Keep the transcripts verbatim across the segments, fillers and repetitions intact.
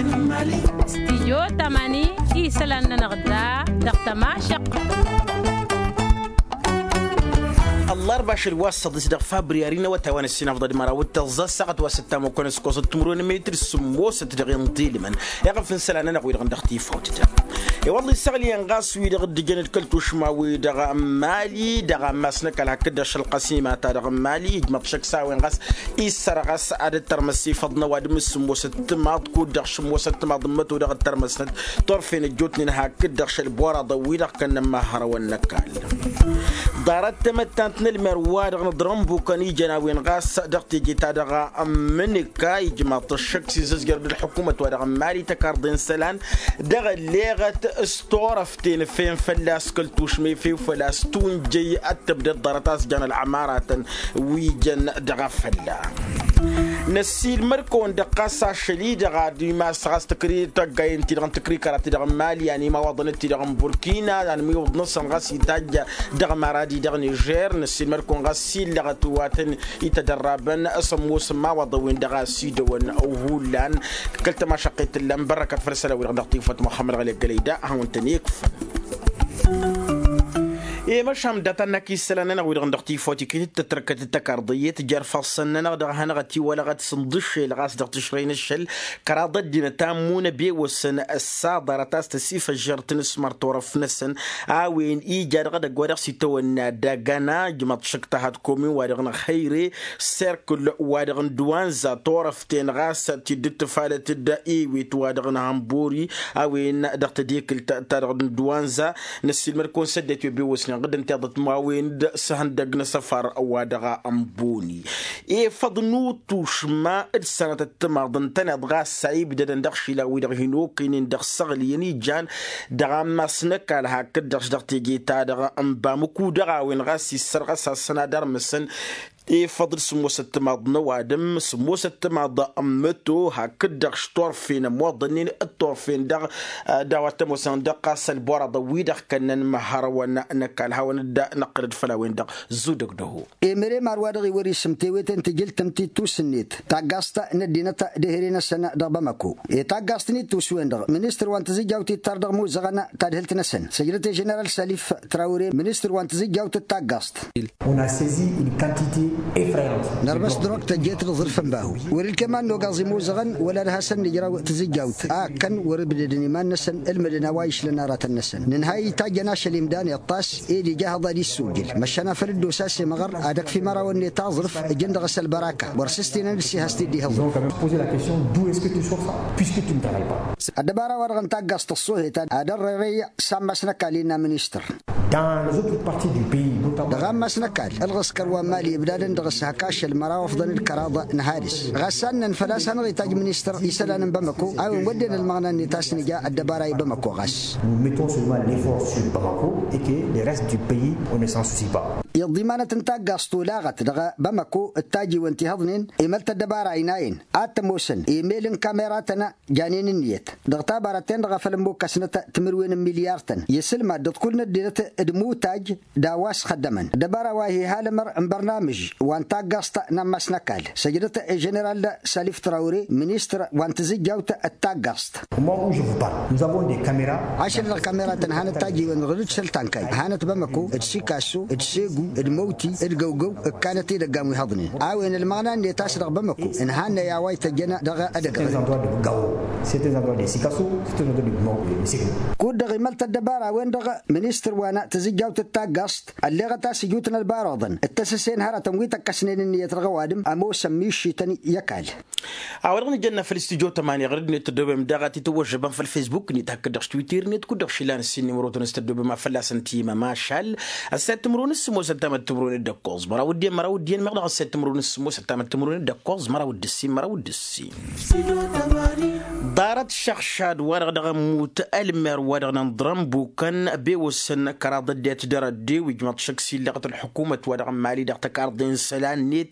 Stijyo tamani isălan-nănăɣ da dăɣ-tămašăq. Ăllarba ašăl wa s-săḍis dăɣ-fabriyari n-awătay wa n-ăssinăfḍăd măraw d-tăẓẓa ăssaɣăt wa s-ăttam okănăskos d-timǝrwen n-metri sǝmmosăt dăɣ-inḍilmăn iɣăf n-isălan-nănăɣ wi-dăɣ n-dăɣ-tifawt-dăɣ. I-wălla isăɣliyăn ɣas wi-dăɣ dd-ǝjăn d-kăl-tušma-wi-dăɣ n-mali dăɣ-ammas n-ăkall hakd-dăɣ šălqăsima-ta-dăɣ n-mali ijmăḍ šăkk s-a-wen ɣas issărɣăs ad-dd-tărmăs ifăḍ n-ăwadǝm s-sǝmmosăt timaḍ kud-dăɣ šǝmmosăt timaḍ n-măto dăɣ-dd-tărmăsnăt turfen ăjjootnen hakd-dăɣ šăl boraḍăn-wi-dăɣ kănnăn imăhhărăwăn n-ăkall. Ḍarăt tamăttant n-ălmer-wa-dăɣ n-aḍrănbukăn ijăn a-wen ɣas dăɣ-teje-ta-dăɣ n-imǝnǝka ijmaḍ-t ăššăk s-izǝzjăr d-ălḥukumăt-wa-dăɣ n-mali tăkarḍe n-isălan dăɣ-ălleɣăt s-turăften ǝffeyăn fălla-s kăl-tušma efew făl-a-s tunjăy ad-tǝbdăd ḍarăt a-s jan ălɣămaratăn wi jăn dăɣ-afălla. Năssiilmăd-kăwăn-dăɣ ɣas ašăl-i-dăɣ ad-imas ɣas tăkri tăggayen-ti-dăɣ n-tăkrikăra-ti-dăɣ n-mali anǝmiwăḍăn-t-ti-dăɣ n-burkina anǝmiwăḍ-năsăn ɣas itajj dăɣ-maradi dăɣ-nižer năssiilmăd-kăwăn ɣas illăɣăt wa tăn-itădărrabăn s-ămoos n-imawăḍăn-wen-dăɣ a ăsidăwăn hullan. Kăl-tămašăqqet tǝllan bărrăkăt făll-isălan-wi-dăɣ dăɣ-tifăt muxămmăd ɣăli ăggălăy da ad-hawăn-tăn-ikfăn. I-măšan data-năk isălan-nănăɣ wi-dăɣ n-dăɣ-tifawt iket-dd tătrăkăt d-tăkarḍăyyet jer-ifassăn-nănăɣ dăɣ-hanăɣ-ătiwălăɣăt s-ǝnḍǝššel ɣas dăɣ-tǝšrăy n-ašăl kăraḍ ăddinăt a ǝmmun ăbewăsăn ăssaḍărăt a-s tăsifăžžăr tinǝsmăr turăft-năsăn. A-wen ija dăɣ-edăgg wa dăɣ-s itawănna dăgg-ăna ǝjmăḍ šăkk tahăt komin-wa-dăɣ n-ăxăyre serkǝl-wa-dăɣ n-duwanza turăften ɣas tidd-dd-tǝfalăt-dd iwit-wa-dăɣ n-hănbori. A-wen dăɣ-tadekǝlt-ta-dăɣ n-duwanza năssiilmăd-kăwăn s-ăddinăt wi ăbewăsnen ɣǝddǝn tiḍăt ma-wen-dd s-ihăndăgg n-asăfar wa dăɣ-ănboni. Efăḍ n-utušma d-sănatăt timaḍ ǝntăneḍ ɣas a ibdădăn dăɣ-išilan-wi-dăɣ hin-okăynen dăɣ-săɣliyăn ijan dăɣ-ammas n-ăkall hakd-dăɣ-s dăɣ-teje-ta-dăɣ n-bamǝku dăɣ-a-wen ɣas issărɣăs-asăn ad-armǝsăn efăḍ d-sǝmmosăt timaḍ n-ăwadǝm sǝmmosăt timaḍ n-măto hakd-dăɣ s-turfen ămoḍănnen d-turfen dăɣ-a-wa t-ămoosăn dăɣ-ɣas ălboraḍăn-wi-dăɣ kănnăn imăhhărăwăn n-ăkall hawăn-dd-năqqǝlăd făll-a-wen-dăɣ. Zudăg dăho. Emăre mar wa dăɣ-iwăr isǝm tewete n-tijǝlt n-tittus-net taggaẓt n-ăddinăt d-ehăre-năsăn dăɣ-bamăko i-taggaẓt n-ittus-wen-dăɣ ministăr wa n-tizǝjjawt ittar dăɣ-imuzăɣăn tadhǝlt-năsăn săjdăt i-ženeral salif trawre ministăr wa n-tizǝjjawt d-taggaẓt. Nărmăs drok tăjjet d-aẓrǝf n-bahu wăr-ǝlkem ad-nogaẓ imuzăɣăn wăla d-hasăn-nǝjraw tizǝjjawt a ǝkkăn wăr-ǝbdădăn iman-năsăn ǝlmǝdăn a-wa išlăn aratăn-năsăn nǝnhăy itajjăn ašăl imdan iṭṭas ed ija hăḍa d-issujǝl măšan afăl dd-osa s-imɣăr ad-ăkf imărawăn-net aẓrǝf ǝjǝn dăɣ-s ălbăraka wăr s-ǝstinăn d-sihas-t-dd-ihǝḍǝn. Ăddăbara-wa-dăɣ n-taggaẓt ăṣṣoohet ad-ărrerăy s-ammas n-ăkall innă ministăr. Dăɣ-ammas n-ăkall ălɣǝskăr wa n-mali ǝbdadăn dăɣ-s hak ašăl măraw ăfḍăn d-kăraḍ n-hadǝs ɣas annăn făl-a-s hanăɣ-itajj ministăr isălan n-bamăko a-wen wădden ălmăɣna-net a-s nǝja ăddăbara i-bamăko ɣas. Nous mettons seulement l'effort sur bamako et que le reste du pays on ne s'en soucie pas. Iḍḍimanăt n-taggaẓt olaɣăt dăɣ-bamăko d-tajiwen ti hăḍnen emăl-t ăddăbara ăynayăn ad-t-ămoosăn emel n-kameratăn janen ǝnniyăt dăɣ-tabarăt-ten-dăɣ a făl ămmukkăsnăt timǝrwen n-milyar-tăn i-isǝlmad d-ăḍkull n-ăddinăt d-imutaj d-a-wa s-xăddămăn ăddăbara wa hi-halămăr n-bărnamǝž wa n-taggaẓt n-ammas n-ăkall săjdăt i-ženeral salif trawre ministăr wa n-tizǝjjawt d-taggaẓt. Ašăl-dăɣ kameratăn hanăt-tajiwen ɣǝd-dd săl-tankay hanăt bamăko d-sikasso d-segu d-măwti d-găwgăw ǝkkanăt idăggan wi hăḍnen a-wen ălmăɣna-net a-s dăɣ-bamăko ǝnhannăy a-wa ităjjăn dăɣ-edăgg. Kud-dăɣ imăl-t ăddăbara-wen-dăɣ ministăr wa n-tizǝjjawt d-taggaẓt ălleɣăt a-s ijutăn ălbaruḍăn d-tăsǝse n-hărătăn wi tăkkăsnen ǝnniyăt dăɣ-ăwadǝm ămoosăn mišităn i-ăkall. A-wa dăɣ-nǝjănna făll-studyo tămani ɣur-dd-net tăddobem daɣ a t-tăwwăžžăbăm făll-facebook-net hakd-dăɣ s-twitter-net kud-dăɣ šilăn ǝssin n-imrotăn s-tăddobem a fălla-săn timăm ašal ăssayăt timǝrwen s-sǝmmos ăttamăt timǝrwen d-ăkkoẓ măraw d-iyyăn măraw d-iyyăn meɣ dăɣ-ăssayăt timǝrwen s-sǝmmos ăttamăt timǝrwen d-ăkkoẓ măraw d-ǝssin măraw d-ǝssin. Ḍarăt šăɣšad-wa-dăɣ dăɣ-ămmut ălmer-wa-dăɣ n-inḍrănbukăn ăbewăsăn kăraḍ ăddinăt d-arăddew ijmăḍ šăkk s-illăɣăt ălḥukumăt-wa-dăɣ n-mali dăɣ-tăkarḍe n-isălan-net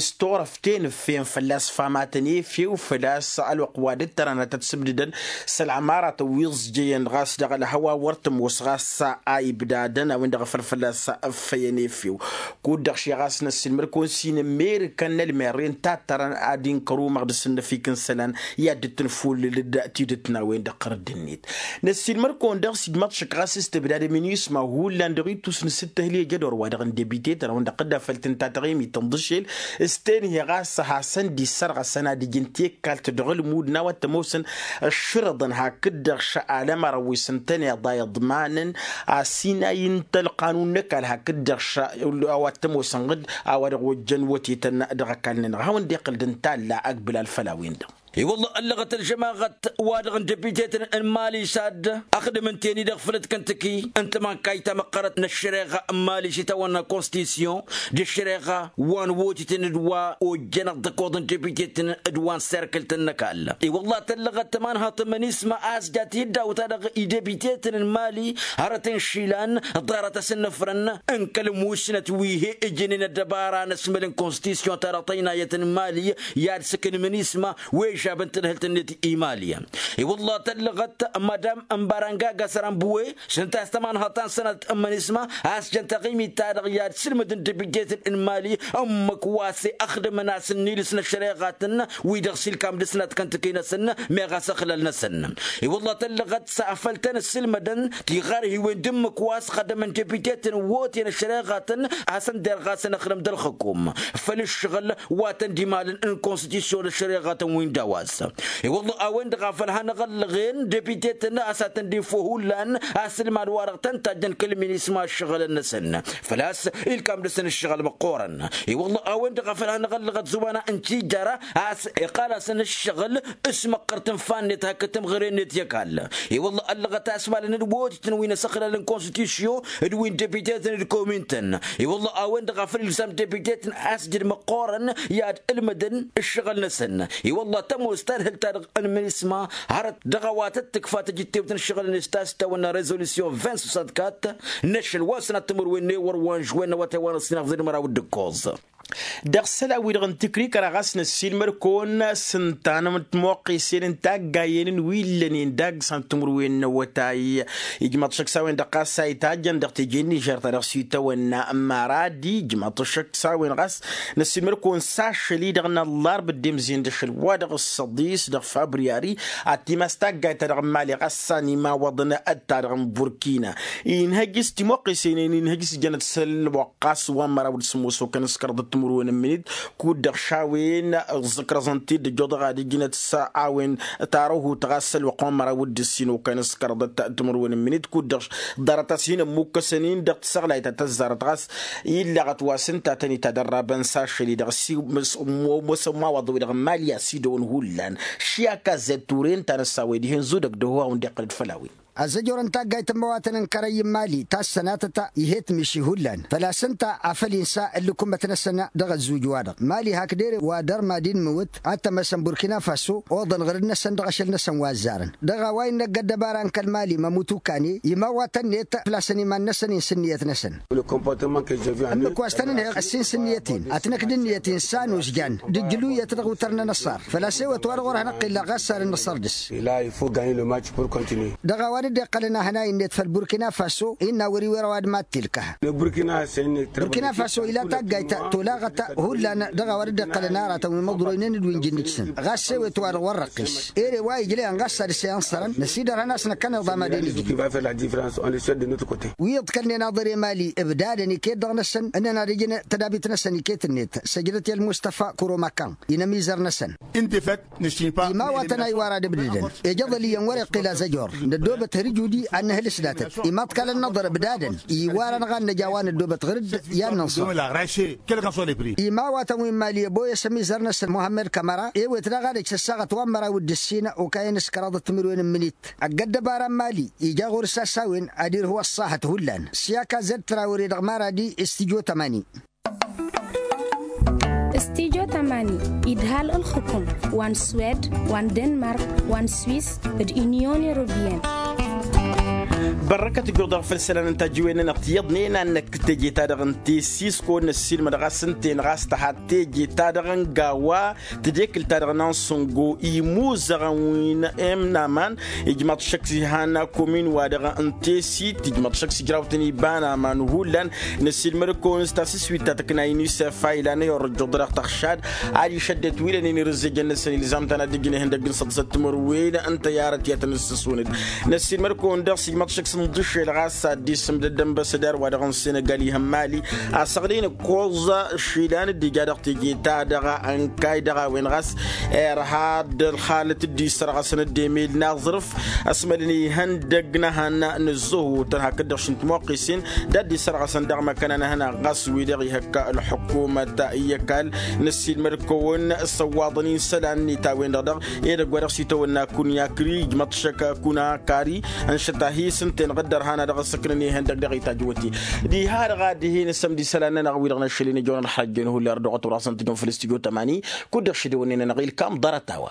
s-turăften ǝffen fălla-s famatăn efew făl-a-s ălwăqq wa dd-tărănăt ad-sǝbdǝdăn s-ălɣămaratăn wi ǝẓjăyăn ɣas dăɣ-ălhăwa wăr tămoos ɣas a ibdadăn a-wen-dăɣ a făl fălla-s ǝffăyăn efew. Kud-dăɣ ši ɣas năssiilmăd-kăwăn s-inǝmmerǝkăn n-ălmerre n-tattărăn ad-inkăr umăɣ d-asǝnnăfik n-isălan i-ad-dd-tǝnfullǝl. d-tidǝt n-a-wen-dăɣ ɣărădd-net. Năssiilmăr-kăwăn dăɣ-s ijmaḍ šăkk ɣas s-tebdadem n-isma hullan dăɣ-itus n-sǝttăhli ejădor wa-dăɣ n-debite-tăn-a-wen-dăɣ dd-afăl tǝnta taɣimit n-iḍǝšel s-tenhe ɣas a hasăn-dd-issărɣăsăn ad-ǝjǝn tekkalt dăɣ-ălmud n-a-wa t-ămoosăn ǝššǝrǝḍăn hakd-dăɣ šăl alămăr wi s-ǝntăneḍ a iḍmanăn asinay n-tălqanun n-ăkall hakd-dăɣ šăl a-wa t-ămoosăn ɣǝd a-wa dăɣ-ojjăn wătetăn dăɣ-ăkall-nănăɣ a hawăn-dd-iqqǝl d-ǝntalla ăgbǝlal făll-a-wen-dăɣ. I-wălla ăllăɣăt ălžămaɣăt wa-dăɣ n-depitetăn n-mali s-ad-ăxdǝm ǝnta-en-i-dăɣ făll-ătkăntăki n-tamankayt tamăqqărăt n-ăššăreɣa n-mali s-itawănna konstitusyon d-ăššăreɣa wa n-wotităn d-wa ojjăn ăḍḍăkoḍ n-depitetăn d-wa n-serkǝltăn n-ăkall. I-wălla tăllăɣăt tămanhăḍt n-imănisma a-s jat-hi dd-awǝt-a-dăɣ idepitetăn n-mali hărăt n-išilan ḍarăt asǝnnăfrăn n-kăl-musnăt wi he-ǝjǝnen ăddăbara n-asmăl n-konstitusyon-ta-dăɣ tăynayăt n-mali i-ad-sǝkǝnmăn isma wi ăžžabăn tadhǝlt-net i-mali. I-wălla tăllăɣăt madam n-baranga gasăran buwe s-ǝnta a-s tămanhăḍt ta n-sănatăt n-imănisma a-s jăn taɣimit-ta-dăɣ i-ad-sǝlmădăn depitetăn n-mali ǝmmǝk wa s-e-ăxdǝmăn a-s ǝnnilǝs n-ăššăreɣatăn wi-dăɣ s-ilkam dăɣ-s n-ad-kăntăkăy-năsăn meɣ a-s ăxlal-năsăn. I-wălla tăllăɣăt s-afăl tăn-ǝssǝlmădăn tiɣarhiwen d-ǝmmǝk wa s-xădămăn depitetăn n-woten ăššăreɣatăn a-s ǝnderɣasăn ăxlăm d-ălxǝkum făll-ǝššăɣǝl wa tăn-dd-imalăn n-konstitusyon d-ăššăreɣatăn wi n-daw-as. I-wălla a-wen-dăɣ a făl hanăɣ-ăllăɣen depitetăn a-s ad-tăn-dd-info hullan asǝlmad-wa-dăɣ tăn-tajjăn kăl-minisma ǝššăɣǝlăn-năsăn făl-a-s ilkam dăɣ-săn ǝššăɣǝl măqqoorăn. I-wălla a-wen-dăɣ a făl hanăɣ-ăllăɣăt zumana n-tijjara a-s iqqal-asăn ǝššăɣǝl s-măqqăr tǝnfa-net hakd tǝmɣǝre-net i-ăkall. I-wălla ăllăɣăt a-s malăn d-wotităn wi n-asăxlal n-konstitusyon d-wi n-depitetăn d-komin-tăn. I-wălla a-wen-dăɣ a făl ilzam depitetăn asjǝd măqqoorăn i-ad-ǝlmǝdăn ǝššăɣǝl-năsăn. I-wălla tămoos tadhǝlt-ta-dăɣ n-minisma hărăt dăɣ-a-wa tăt-tǝkfa tijǝttewt n-ǝššăɣǝl-net ta s-tawănna rezălusyon vint soixante-quatre n-ašăl wa n-sănat timǝrwen n-ewăr wa n-žwen n-awătay wa n-ăssinăɣ zǝdmăraw d-ǝkkoẓ. Dăɣ-isălan-wi-dăɣ n-tǝkrikăra ɣas năssiilmăr-kăwăn s-ǝnta n-timoqqesen n-taggayen n-wi ǝllănen dagg s-ad-timǝrwen n-awătay. Ijmăḍ šăkk s-a-wen-dăɣ ɣas a itajjăn dăɣ-teje n-nižer ta dăɣ-s itawănna maradi ijmăḍ šăkk s-a-wen ɣas năssiilmăr-kăwăn s-ašăl-i-dăɣ n-ăllarb dd-emzen d-ašăl-wa-dăɣ s-săḍis dăɣ-februar ad-timas taggayt-ta-dăɣ n-mali ɣas a n-imawăḍăn d-ta-dăɣ n-burkina. Inhăj s-timoqqesen-en inhăj s-jănăt s-ălwăqq ɣas wa n-măraw d-sǝmmos okănăskărăḍ d-timǝrwen n-imǝnit kud-dăɣ šawen ǝẓẓǝkrăẓăn-t-dd ăjjoḍăɣ ad-ǝjnăt s-a-wen tarăhut ɣas ălwăqq wa n-măraw d-ǝssin okănăskărăḍ d-timǝrwen n-imǝnit kud-dăɣ ḍarăt-as hin-ămmukkăsăn-in dăɣ-tisăɣlayt ta tăzzarăt ɣas illăɣăt wa s-ǝnta a tăn-itadărrabăn s-ašăl-i-dăɣ s-imawăḍ-wi-dăɣ n-mali a-s idăwăn hullan. Ši akazet ture ǝnta a năsawăy dihen zudăg dăɣ-hu a hawăn-dd-iqqăl d-făll-a-wen. Ăzzăjor n-taggayt n-imăwatăn n-kărăyy n-mali ta s-sănatăt ihăt miši hullan făl-a-s ǝnta a făl insa ǝllǝkummăt-năsăn dăɣ-ăzzuj-wa-dăɣ mali hakd ere wa dăr-mad-in imǝwǝt ad-tămăsăn burkina faso oḍăn ɣǝrǝd-năsăn dăɣ-ašăl-năsăn wa ăzzarăn. Dăɣ-a-wa innă ăgg-ăddăbara n-kăl-mali mămutukane imawatăn-net făl-a-s ăniman-năsăn-in s-ǝnniyăt-năsăn. Ǝmmǝk wa s-tăn-ǝnhăyăɣ ăssin s-ǝnniyăt-in ad-tăn-ăkd ǝnniyăt-in s-anus jan d-ǝjlǝyăt dăɣ-utăr n-anăṣṣar făl-a-s ewăt wa dăɣ-wăr hanăɣ-t-illa ɣas sarăn-năṣṣăr dăɣ-s. Dăɣ-a-wa dd-iqqălăn ahănay-net făll-burkina faso innă wăr-iwăr ăwadǝm ad-t-ilkăh. Burkina faso ila taggayt tolaɣăt hullan dăɣ-a-wa dd-iqqălăn aratăn wi măḍroynen d-wi n-jǝnnǝj-săn ɣas ewăt wa dăɣ-wăr răqqis. Ere wa ijlăyăn ɣas ad-s-i ănṣărăn năsidărhăn a-s năkkăneḍ amadăn ijlǝy. Wi iḍkălnen aḍăr i-mali ǝbdadăn iket-dăɣ-năsăn ǝnnăn ad-ǝjǝn tădabit-năsăn iket-net săjdăt i-ălmustăfa kuro makan inămizăr-năsăn. Imawatăn a iwar ad-ǝbdǝdăn ejăḍăl iyyăn wăr-iqqǝl azăjor năddoobăt hărjudi ad-nǝhǝlǝs datăt imaḍkalăn n-aḍăr ǝbdadăn iwar-anăɣ ad-nǝj a-wa năddoobăt ɣǝr-dd i-ad-nǝnṣăr. Imawatăn wi n-mali ăboyăs ămizăr-năsăn muhammed kămăra ewet daɣ ad-ăj săssaɣăt wa n-măraw d-ǝssin okayăn s-kăraḍăt timǝrwen n-imǝnit. Ăgg-ăddăbara n-mali ija ɣur-s asawen ad-irhu ăṣṣahăt hullan s-i-ăkazăd trawre dăɣ-maradi s-tijo tămani. Stijo tămani idhal ǝlxǝkum wa n-swed wa n-denmark wa n-swis d-inyon europeyăn. Bărrăkăt ǝjjuḍ-dăɣ făll-isălan n-tajǝwen-nănăɣ tiyyăḍnen ad-năkk teje-ta-dăɣ n-tesis kăwăn-năssiilmăd ɣas ǝnta-en ɣas tăha teje-ta-dăɣ n-gawa tedekǝlt-ta-dăɣ n-ansǝngo imuzăɣăn wi n-emnaman. Ijmaḍ šăkk s-ihan komin-wa-dăɣ n-tesit ijmaḍ šăkk s-ijrawten iba n-aman hullan. Năssiilmăd-kăwăn s-tasǝswit ta tǝkna inisef a ilan i-orăjjuḍ dăɣ-tăɣšad ad-išădded wi lănen irǝzzejăn-năsăn ilzam-tăn ad-ǝjǝn ihăndăgg n-săḍsăt timǝrwen n-tăyarăt i-ad-tăn-ǝssǝswǝnăd. Năssiilmăd-kăwăn daɣ s-ijmăḍ šăkk s-inḍǝššel ɣas ad-dd-isǝmdăd d-ănbăsădar wa dăɣ-n senegal ihăn mali asăɣlin ǝkkoẓ išilan dd-ija dăɣ-teje-ta-dăɣ ănkay dăɣ-a-wen ɣas irha d-ălxalăt dd-isărɣăsăn dd-emel n-aẓrǝf ăsmălăn ihăndăgg n-ehăn n-ǝzzăhutăn hakd-dăɣ šintmuqqisen d-ad-dd-isărɣăsăn dăɣ-măkăna n-ehăna ɣas wi-dăɣ ihăkk ălḥukumăt i-ăkall. Năssiilmăd-kăwăn s-ăwwaḍăn-in isălan-net a-wen-dăɣ dăɣ-edăgg wa dăɣ-s itawănna kunyakri ijmăḍ šăkk kunakari ănšăt a hi-sǝnten ɣǝddăr han a dăɣ-ăssăknăn ihăndăgg dăɣ-itajǝwăt-i. Diha-dăɣ a dihen ǝssăm d-isălan-nănăɣ wi-dăɣ n-ašăl-in ijăwăn ălxăjjăn hulli ărdăɣăt wăr-asăn tǝjăn făll-s tijăw tămani kud-dăɣ šidăwănnen-nănăɣ ilkam ḍarăt-a-wa.